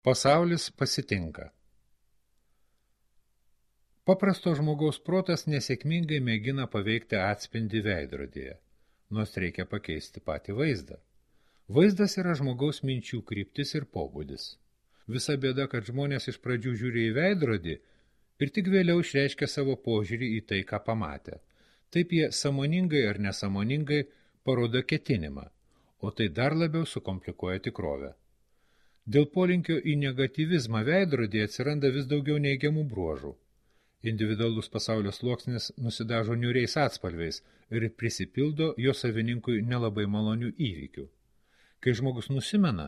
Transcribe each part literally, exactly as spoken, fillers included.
Pasaulis pasitinka. Paprasto žmogaus protas nesėkmingai mėgina paveikti atspindį veidrodyje, nors reikia pakeisti patį vaizdą. Vaizdas yra žmogaus minčių kryptis ir pobūdis. Visa bėda, kad žmonės iš pradžių žiūri į veidrodį ir tik vėliau išreiškia savo požiūrį į tai, ką pamatė. Taip jie sąmoningai ar nesąmoningai parodo ketinimą, o tai dar labiau sukomplikuoja tikrovę. Dėl polinkio į negatyvizmą veidrodyje atsiranda vis daugiau neigiamų bruožų. Individualus pasaulio sluoksnis nusidažo niūriais atspalviais ir prisipildo jo savininkui nelabai malonių įvykių. Kai žmogus nusimena,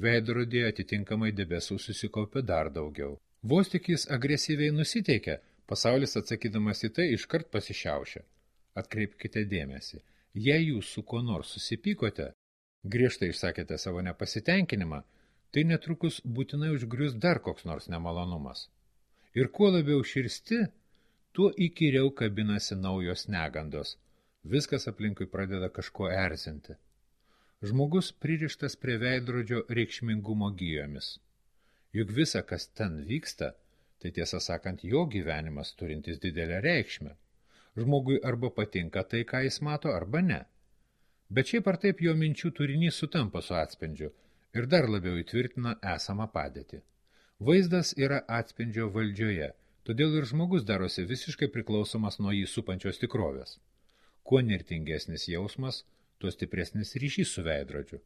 veidrodyje atitinkamai debesų susikaupia dar daugiau. Vos tik jis agresyviai nusiteikia, pasaulis atsakydamas į tai iškart pasišiaušia. Atkreipkite dėmesį, jei jūs su kuo nors susipykote, griežtai išsakėte savo nepasitenkinimą, tai netrukus būtinai užgrius dar koks nors nemalonumas. Ir kuo labiau širsti, tuo įkyriau kabinasi naujos negandos. Viskas aplinkui pradeda kažko erzinti. Žmogus pririštas prie veidrodžio reikšmingumo gijomis. Juk visa, kas ten vyksta, tai tiesą sakant jo gyvenimas turintis didelę reikšmę. Žmogui arba patinka tai, ką jis mato, arba ne. Bet šiaip ar taip jo minčių turinys sutampa su atspindžiu ir dar labiau įtvirtina esamą padėtį. Vaizdas yra atspindžio valdžioje, todėl ir žmogus darosi visiškai priklausomas nuo jį supančios tikrovės. Kuo nirtingesnis jausmas, tuo stipresnis ryšys su veidrodžiu.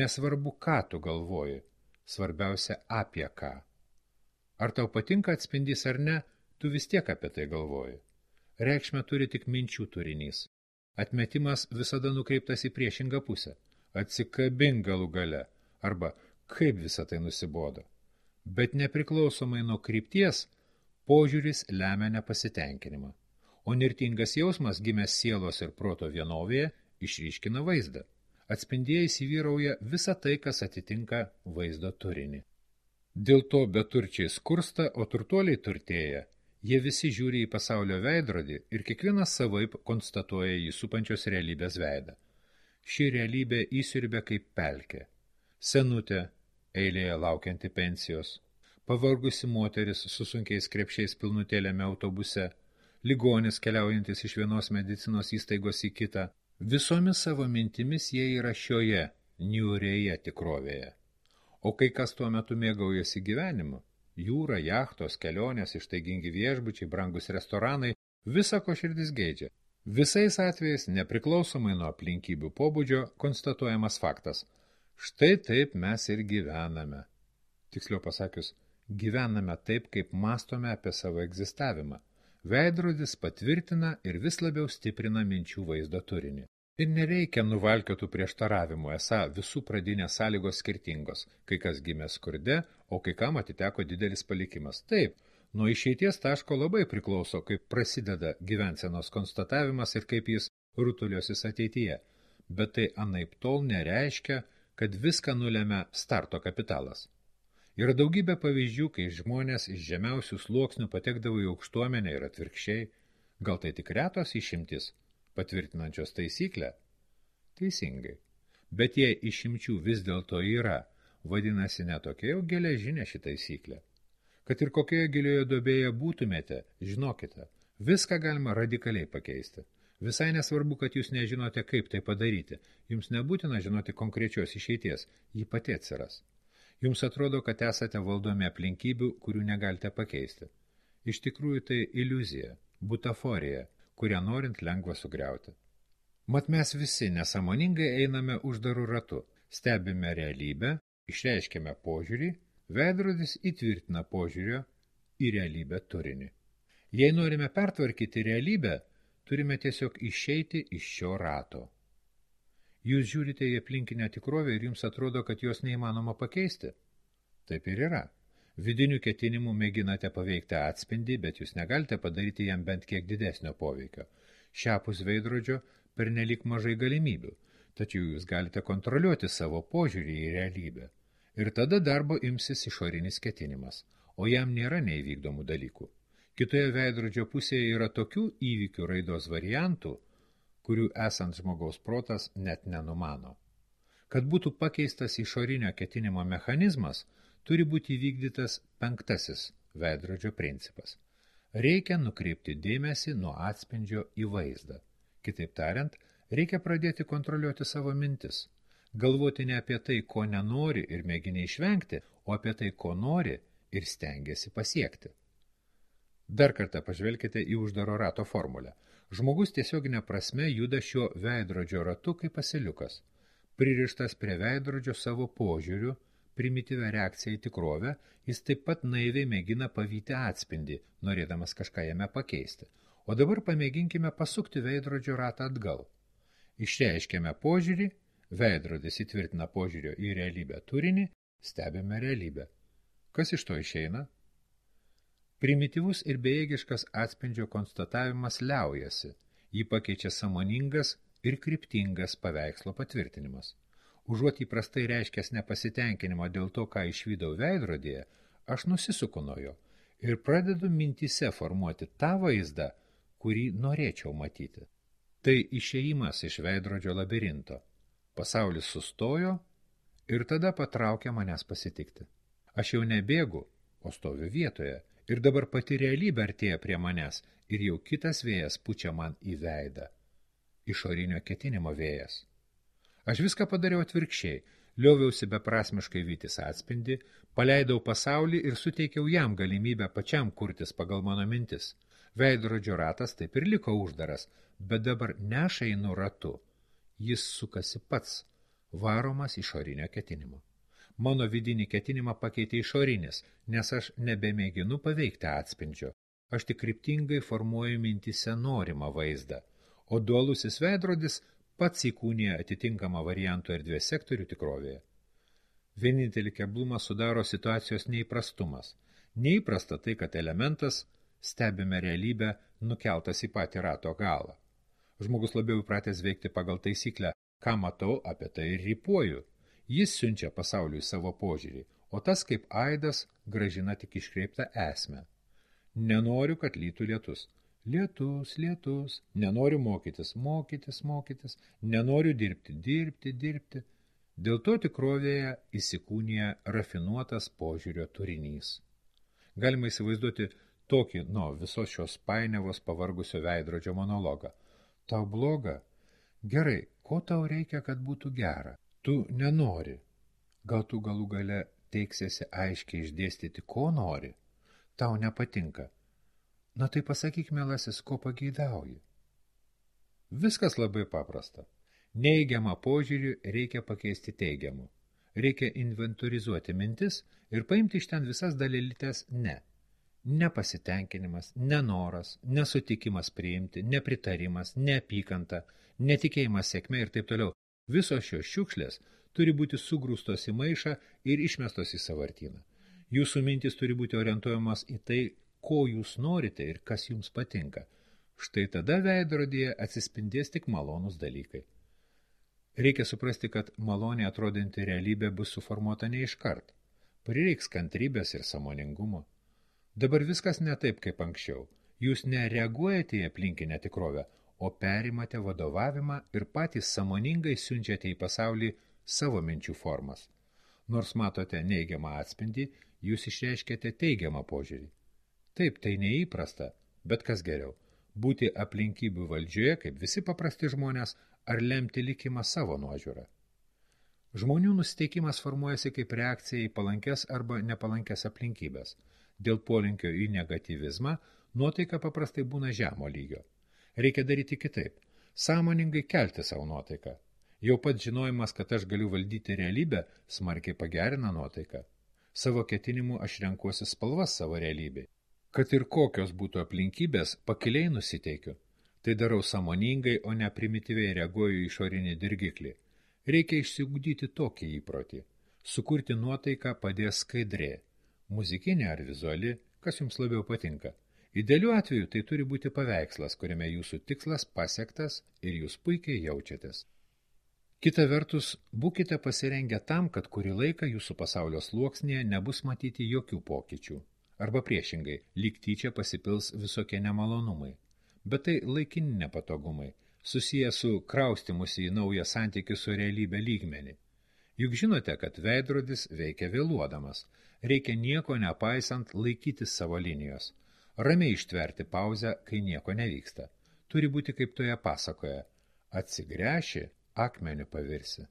Nesvarbu, ką tu galvoji, svarbiausia apie ką. Ar tau patinka atspindys ar ne, tu vis tiek apie tai galvoji. Reikšmę turi tik minčių turinys. Atmetimas visada nukreiptas į priešingą pusę. Atsikabink galų gale, arba kaip visą tai nusibodo. Bet nepriklausomai nuo krypties, požiūris lemia nepasitenkinimą. O nirtingas jausmas, gimęs sielos ir proto vienovėje, išryškina vaizdą. Atspindėje įsivyrauja visa tai, kas atitinka vaizdo turinį. Dėl to beturčiai skursta, o turtuoliai turtėja. Jie visi žiūri į pasaulio veidrodį ir kiekvienas savaip konstatuoja jį supančios realybės veidą. Ši realybė įsiurbia kaip pelkė. Senutė, eilėje laukianti pensijos, pavargusi moteris su sunkiais krepšiais pilnutėlėme autobuse, ligonis keliaujantis iš vienos medicinos įstaigos į kitą. Visomis savo mintimis jie yra šioje, niūrėje tikrovėje. O kai kas tuo metu mėgaujasi gyvenimu, jūra, jachtos, kelionės, ištaigingi viešbučiai, brangus restoranai, visa ko širdis geidžia. Visais atvejais, nepriklausomai nuo aplinkybių pobūdžio, konstatuojamas faktas. Štai taip mes ir gyvename. Tiksliau pasakius, gyvename taip, kaip mąstome apie savo egzistavimą. Veidrodis patvirtina ir vis labiau stiprina minčių vaizdo turinį. Ir nereikia nuvalkiotų prieštaravimų, esą visų pradinės sąlygos skirtingos, kai kas gimė skurde, o kai kam atiteko didelis palikimas. Taip, nuo išeities taško labai priklauso, kaip prasideda gyvensenos konstatavimas ir kaip jis rutuliosis ateityje, bet tai anaiptol nereiškia, kad viską nulemia starto kapitalas. Yra daugybė pavyzdžių, kai žmonės iš žemiausių sluoksnių patekdavo į aukštuomenę ir atvirkščiai, gal tai tik retos išimtis, patvirtinančios taisyklę? Teisingai. Bet jei išimčių vis dėlto yra, vadinasi ne tokia jau geležinė ši taisyklė. Kad ir kokioje gilioje duobėje būtumėte, žinokite, viską galima radikaliai pakeisti. Visai nesvarbu, kad jūs nežinote, kaip tai padaryti. Jums nebūtina žinoti konkrečios išeities, ji pati atsiras. Jums atrodo, kad esate valdomi aplinkybių, kurių negalite pakeisti. Iš tikrųjų tai iliuzija, butaforija, kurią norint lengva sugriauti. Mat mes visi nesąmoningai einame uždarų ratu, stebime realybę, išreiškiame požiūrį, veidrodis įtvirtina požiūrio į realybę turinį. Jei norime pertvarkyti realybę, turime tiesiog išeiti iš šio rato. Jūs žiūrite į aplinkinę tikrovę ir jums atrodo, kad jos neįmanoma pakeisti. Taip ir yra. Vidinių ketinimų mėginate paveikti atspindį, bet jūs negalite padaryti jam bent kiek didesnio poveikio. Šiapus veidrodžio pernelyg mažai galimybių, tačiau jūs galite kontroliuoti savo požiūrį į realybę. Ir tada darbo imsis išorinis ketinimas, o jam nėra neįvykdomų dalykų. Kitoje veidrodžio pusėje yra tokių įvykių raidos variantų, kurių esant žmogaus protas net nenumano. Kad būtų pakeistas išorinio ketinimo mechanizmas, turi būti įvykdytas penktasis veidrodžio principas. Reikia nukreipti dėmesį nuo atspindžio į vaizdą. Kitaip tariant, reikia pradėti kontroliuoti savo mintis. Galvoti ne apie tai, ko nenori ir mėgini išvengti, o apie tai, ko nori ir stengiasi pasiekti. Dar kartą pažvelkite į uždaro rato formulę. Žmogus tiesioginė prasme juda šiuo veidrodžio ratu kaip asiliukas. Pririštas prie veidrodžio savo požiūriu, primityvę reakciją į tikrovę, jis taip pat naiviai mėgina pavyti atspindį, norėdamas kažką jame pakeisti. O dabar pamėginkime pasukti veidrodžio ratą atgal. Išreiškėme požiūrį, veidrodis įtvirtina požiūrio į realybę turinį, stebime realybę. Kas iš to išeina? Primityvus ir bejėgiškas atspindžio konstatavimas liaujasi, jį pakeičia sąmoningas ir kryptingas paveikslo patvirtinimas. Užuot įprastai reiškęs nepasitenkinimą dėl to, ką išvydau veidrodėje, aš nusisuku nuo jo ir pradedu mintyse formuoti tą vaizdą, kurį norėčiau matyti. Tai išėjimas iš veidrodžio labirinto. Pasaulis sustojo ir tada patraukė manęs pasitikti. Aš jau nebėgu, o stoviu vietoje, ir dabar pati realybė artėja prie manęs ir jau kitas vėjas pučia man į veidą. Išorinio ketinimo vėjas. Aš viską padariau atvirkščiai, lioviausi beprasmiškai vytis atspindį, paleidau pasaulį ir suteikiau jam galimybę pačiam kurtis pagal mano mintis. Veidrodžio ratas taip ir liko uždaras, bet dabar neša einu ratu. Jis sukasi pats, varomas išorinio ketinimo. Mano vidinį ketinimą pakeitė išorinis, nes aš nebemėginu paveikti atspindžio. Aš tik kryptingai formuoju mintise norimą vaizdą, o dualusis veidrodis pats įkūnija atitinkamą variantų erdvės sektorių tikrovėje. Vienintelį keblumą sudaro situacijos neįprastumas. Neįprasta tai, kad elementas, stebime realybę, nukeltas į patį rato galą. Žmogus labiau įpratęs veikti pagal taisyklę, ką matau, apie tai ir rypuoju. Jis siunčia pasauliui savo požiūrį, o tas kaip aidas grąžina tik iškreiptą esmę. Nenoriu, kad lytų lietus. Lietus, lietus. Nenoriu mokytis, mokytis, mokytis. Nenoriu dirbti, dirbti, dirbti. Dėl to tikrovėje įsikūnija rafinuotas požiūrio turinys. Galima įsivaizduoti tokį, nuo visos šios painiavos pavargusio veidrodžio monologą. Tau bloga? Gerai, ko tau reikia, kad būtų gera? Tu nenori. Gal tu galų gale teiksiesi aiškiai išdėstyti, ko nori? Tau nepatinka. Na tai pasakyk, mielasis, ko pageidauji. Viskas labai paprasta. Neigiamą požiūrį reikia pakeisti teigiamu. Reikia inventorizuoti mintis ir paimti iš ten visas dalelytes ne. Nepasitenkinimas, nenoras, nesutikimas priimti, nepritarimas, neapykanta, netikėjimas sėkme ir taip toliau. Visos šios šiukšlės turi būti sugrūstos į maišą ir išmestos į sąvartyną. Jūsų mintys turi būti orientuojamas į tai, ko jūs norite ir kas jums patinka. Štai tada veidrodyje atsispindės tik malonūs dalykai. Reikia suprasti, kad maloniai atrodanti realybė bus suformuota ne iškart. Prireiks kantrybės ir sąmoningumo. Dabar viskas ne taip, kaip anksčiau. Jūs nereaguojate į aplinkinę tikrovę, o perimate vadovavimą ir patys sąmoningai siunčiate į pasaulį savo minčių formas. Nors matote neigiamą atspindį, jūs išreiškėte teigiamą požiūrį. Taip, tai neįprasta, bet kas geriau – būti aplinkybių valdžioje, kaip visi paprasti žmonės, ar lemti likimą savo nuožiūrą. Žmonių nusiteikimas formuojasi kaip reakcija į palankes arba nepalankes aplinkybės. Dėl polinkio į negatyvizmą nuotaika paprastai būna žemo lygio. Reikia daryti kitaip. Sąmoningai kelti savo nuotaiką. Jau pat žinojimas, kad aš galiu valdyti realybę, smarkiai pagerina nuotaiką. Savo ketinimu aš renkuosi spalvas savo realybei. Kad ir kokios būtų aplinkybės, pakiliai nusiteikiu. Tai darau sąmoningai, o ne primityviai reaguoju į išorinį dirgiklį. Reikia išsiugdyti tokį įprotį. Sukurti nuotaiką padės skaidrė. Muzikinė ar vizuali, kas jums labiau patinka. Idealiu atveju tai turi būti paveikslas, kuriame jūsų tikslas pasiektas ir jūs puikiai jaučiatės. Kita vertus, būkite pasirengę tam, kad kurį laiką jūsų pasaulio sluoksnėje nebus matyti jokių pokyčių. Arba priešingai, lyg tyčia pasipils visokie nemalonumai. Bet tai laikini nepatogumai, susiję su kraustimusi į naują santykį su realybė lygmenį. Juk žinote, kad veidrodis veikia vėluodamas. Reikia nieko nepaisant laikytis savo linijos. Ramiai ištverti pauzę, kai nieko nevyksta. Turi būti kaip toje pasakoje. Atsigręši, akmeniu pavirsi.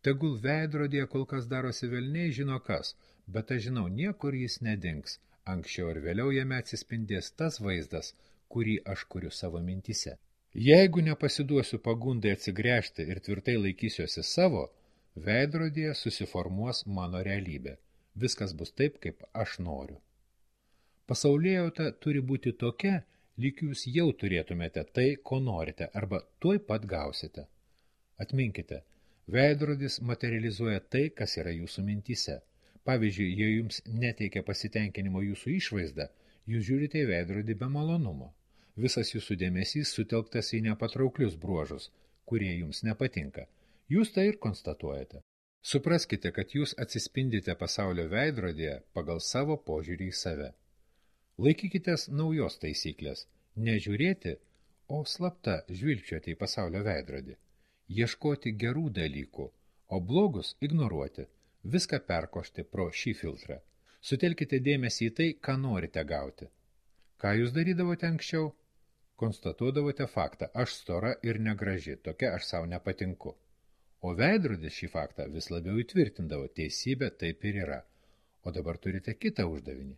Tegul veidrodėje kol kas darosi velniai žino kas, bet aš žinau, niekur jis nedings. Anksčiau ir vėliau jame atsispindės tas vaizdas, kurį aš kuriu savo mintise. Jeigu nepasiduosiu pagundai atsigręžti ir tvirtai laikysiuosi savo, veidrodėje susiformuos mano realybė. Viskas bus taip, kaip aš noriu. Pasaulėjauta turi būti tokia, lyg jūs jau turėtumėte tai, ko norite, arba tuoj pat gausite. Atminkite, veidrodis materializuoja tai, kas yra jūsų mintyse. Pavyzdžiui, jei jums neteikia pasitenkinimo jūsų išvaizda, jūs žiūrite į veidrodį be malonumo. Visas jūsų dėmesys sutelktas į nepatrauklius bruožus, kurie jums nepatinka. Jūs tai ir konstatuojate. Supraskite, kad jūs atsispindite pasaulio veidrodėje pagal savo požiūrį į save. Laikykitės naujos taisyklės. Nežiūrėti, o slapta žvilgčioti į pasaulio veidrodį. Ieškoti gerų dalykų, o blogus ignoruoti. Viską perkošti pro šį filtrą. Sutelkite dėmesį į tai, ką norite gauti. Ką jūs darydavote anksčiau? Konstatuodavote faktą, aš stora ir negraži, tokia aš savo nepatinku. O veidrodis šį faktą vis labiau įtvirtindavo, teisybė taip ir yra. O dabar turite kitą uždavinį.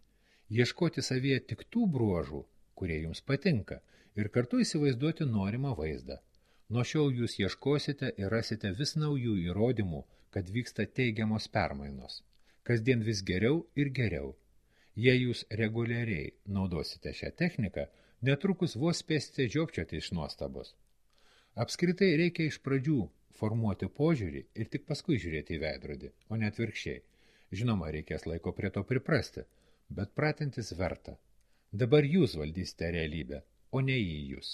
Ieškoti savyje tik tų bruožų, kurie jums patinka, ir kartu įsivaizduoti norimą vaizdą. Nuo šiol jūs ieškosite ir rasite vis naujų įrodymų, kad vyksta teigiamos permainos. Kasdien vis geriau ir geriau. Jei jūs reguliariai naudosite šią techniką, netrukus vos spėsite žiopčioti iš nuostabos. Apskritai reikia iš pradžių formuoti požiūrį ir tik paskui žiūrėti į veidrodį, o ne atvirkščiai. Žinoma, reikės laiko prie to priprasti, bet pratintis verta. Dabar jūs valdysite realybę, o ne į jūs.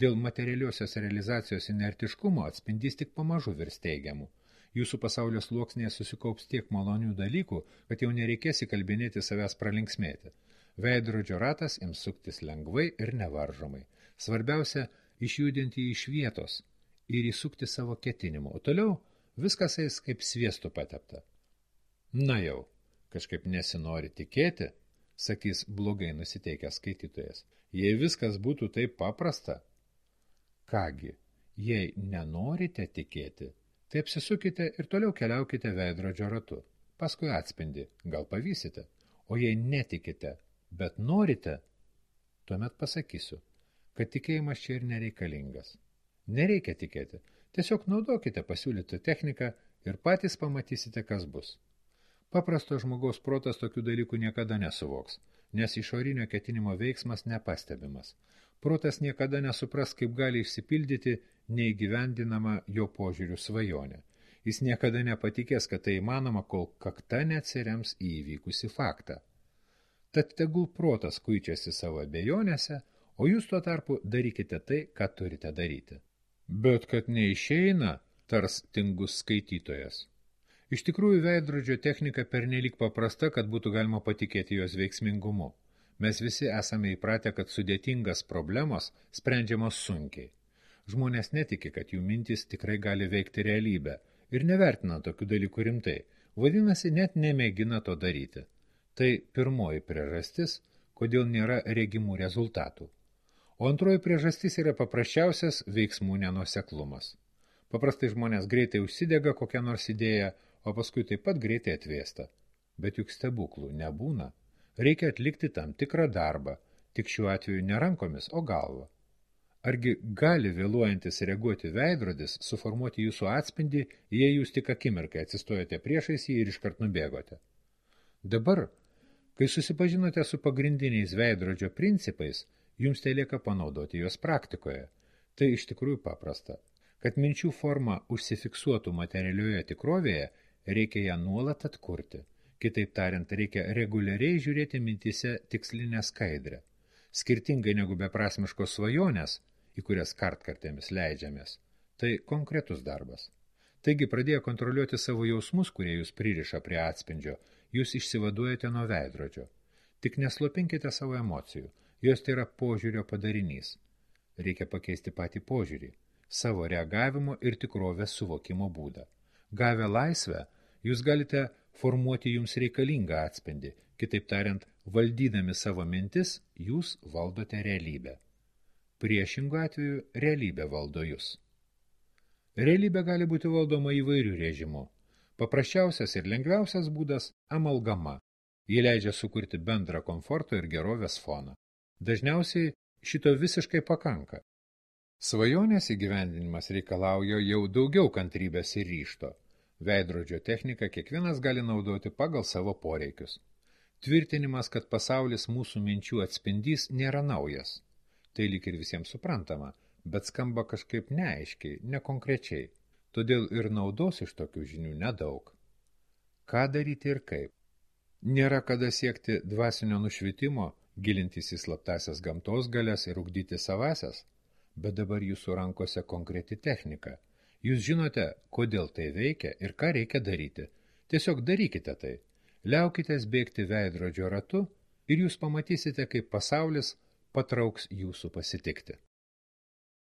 Dėl materialiosios realizacijos inertiškumo atspindys tik pamažu virs teigiamų. Jūsų pasaulio sluoksnėje susikaups tiek malonių dalykų, kad jau nereikės įkalbinėti savęs pralinksmėti. Veidrodžio ratas ims suktis lengvai ir nevaržomai. Svarbiausia – išjudinti iš vietos ir įsukti savo ketinimu, o toliau viskas eis kaip sviestu patepta. Na jau, kažkaip nesinori tikėti, sakys blogai nusiteikęs skaitytojas. Jei viskas būtų taip paprasta, kągi, jei nenorite tikėti, tai apsisukite ir toliau keliaukite veidrodžio ratu. Paskui atspindi, gal pavysite. O jei netikite, bet norite, tuomet pasakysiu, kad tikėjimas čia ir nereikalingas. Nereikia tikėti. Tiesiog naudokite pasiūlytą techniką ir patys pamatysite, kas bus. Paprasto žmogaus protas tokių dalykų niekada nesuvoks, nes išorinio ketinimo veiksmas nepastebimas. Protas niekada nesupras, kaip gali išsipildyti neįgyvendinama jo požiūrių svajonė. Jis niekada nepatikės, kad tai įmanoma, kol kakta neatsirems į įvykusį faktą. Tad tegul protas kuičiasi savo abejonėse, o jūs tuo tarpu darykite tai, ką turite daryti. Bet kad neišeina, tars tingus skaitytojas. Iš tikrųjų, veidrodžio technika pernelyg paprasta, kad būtų galima patikėti jos veiksmingumu. Mes visi esame įpratę, kad sudėtingas problemos sprendžiamos sunkiai. Žmonės netiki, kad jų mintys tikrai gali veikti realybę ir nevertina tokių dalykų rimtai, vadinasi, net nemėgina to daryti. Tai pirmoji priežastis, kodėl nėra regimų rezultatų. O antroji priežastis yra paprasčiausias veiksmų nenuoseklumas. Paprastai žmonės greitai užsidega kokią nors idėją, o paskui taip pat greitai atvėsta. Bet juk stebuklų nebūna. Reikia atlikti tam tikrą darbą, tik šiuo atveju ne rankomis, o galva. Argi gali vėluojantis reaguoti veidrodis suformuoti jūsų atspindį, jei jūs tik akimirkai atsistojate priešais jį ir iškart nubėgote? Dabar, kai susipažinote su pagrindiniais veidrodžio principais, jums tai lieka panaudoti juos praktikoje. Tai iš tikrųjų paprasta. Kad minčių forma užsifiksuotų materialioje tikrovėje, reikia ją nuolat atkurti. Kitaip tariant, reikia reguliariai žiūrėti mintyse tikslinę skaidrę. Skirtingai negu beprasmiškos svajonės, į kurias kartkartėmis leidžiamės, tai konkretus darbas. Taigi, pradėję kontroliuoti savo jausmus, kurie jūs pririša prie atspindžio, jūs išsivaduojate nuo veidrodžio. Tik neslopinkite savo emocijų, jos tai yra požiūrio padarinys. Reikia pakeisti patį požiūrį, savo reagavimo ir tikrovės suvokimo būdą. Gavę laisvę, jūs galite formuoti jums reikalingą atspindį. Kitaip tariant, valdydami savo mintis, jūs valdote realybę. Priešingu atveju realybė valdo jūs. Realybė gali būti valdoma įvairių režimų. Paprasčiausias ir lengviausias būdas – amalgama. Ji leidžia sukurti bendrą komforto ir gerovės foną. Dažniausiai šito visiškai pakanka. Svajonės įgyvendinimas reikalauja jau daugiau kantrybės ir ryžto. Veidrodžio techniką kiekvienas gali naudoti pagal savo poreikius. Tvirtinimas, kad pasaulis mūsų minčių atspindys, nėra naujas. Tai lyg ir visiems suprantama, bet skamba kažkaip neaiškiai, nekonkrečiai. Todėl ir naudos iš tokių žinių nedaug. Ką daryti ir kaip? Nėra kada siekti dvasinio nušvitimo, gilintis į slaptasias gamtos galias ir ugdyti savasias, bet dabar jūsų rankose konkreti technika. Jūs žinote, kodėl tai veikia ir ką reikia daryti. Tiesiog darykite tai. Liaukitės bėgti veidrodžio ratu ir jūs pamatysite, kaip pasaulis patrauks jūsų pasitikti.